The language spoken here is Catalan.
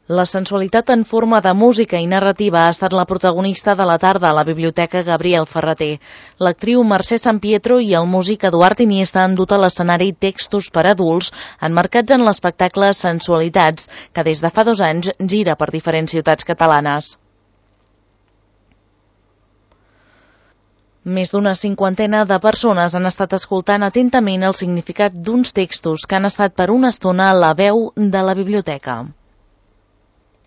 La sensualitat en forma de música i narrativa ha estat la protagonista de la tarda a la Biblioteca Gabriel Ferrater. L'actriu Mercè Sampietro i el músic Eduard Iniesta han dut a l'escenari textos per adults emmarcats en l'espectacle Sensualitats, que des de fa 2 anys gira per diferents ciutats catalanes. Més d'una 50ena de persones han estat escoltant atentament el significat d'uns textos que han estat per una estona a la veu de la biblioteca.